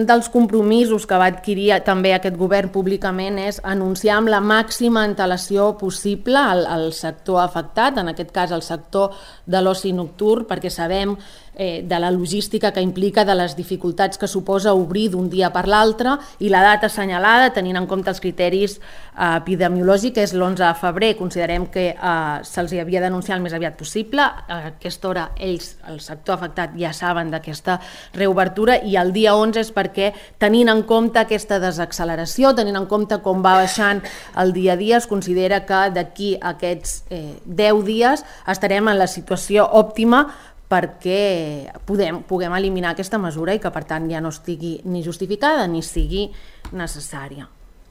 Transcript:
dels compromisos que va adquirir també aquest govern públicament és anunciar amb la màxima antelació possible al sector afectat, en aquest cas el sector de l'oci nocturn, perquè sabem de la logística que implica, de les dificultats que suposa obrir d'un dia per l'altre, i la data assenyalada, tenint en compte els criteris epidemiològics, és l'11 de febrer. Considerem que se'ls havia d'anunciar el més aviat possible. A aquesta hora ells, el sector afectat, ja saben d'aquesta reobertura, i el dia 11 és perquè, tenint en compte aquesta desacceleració, tenint en compte com va baixant el dia a dia, es considera que d'aquí a aquests 10 dies estarem en la situació òptima perquè puguem eliminar aquesta mesura i que per tant ja no estigui ni justificada ni sigui necessària.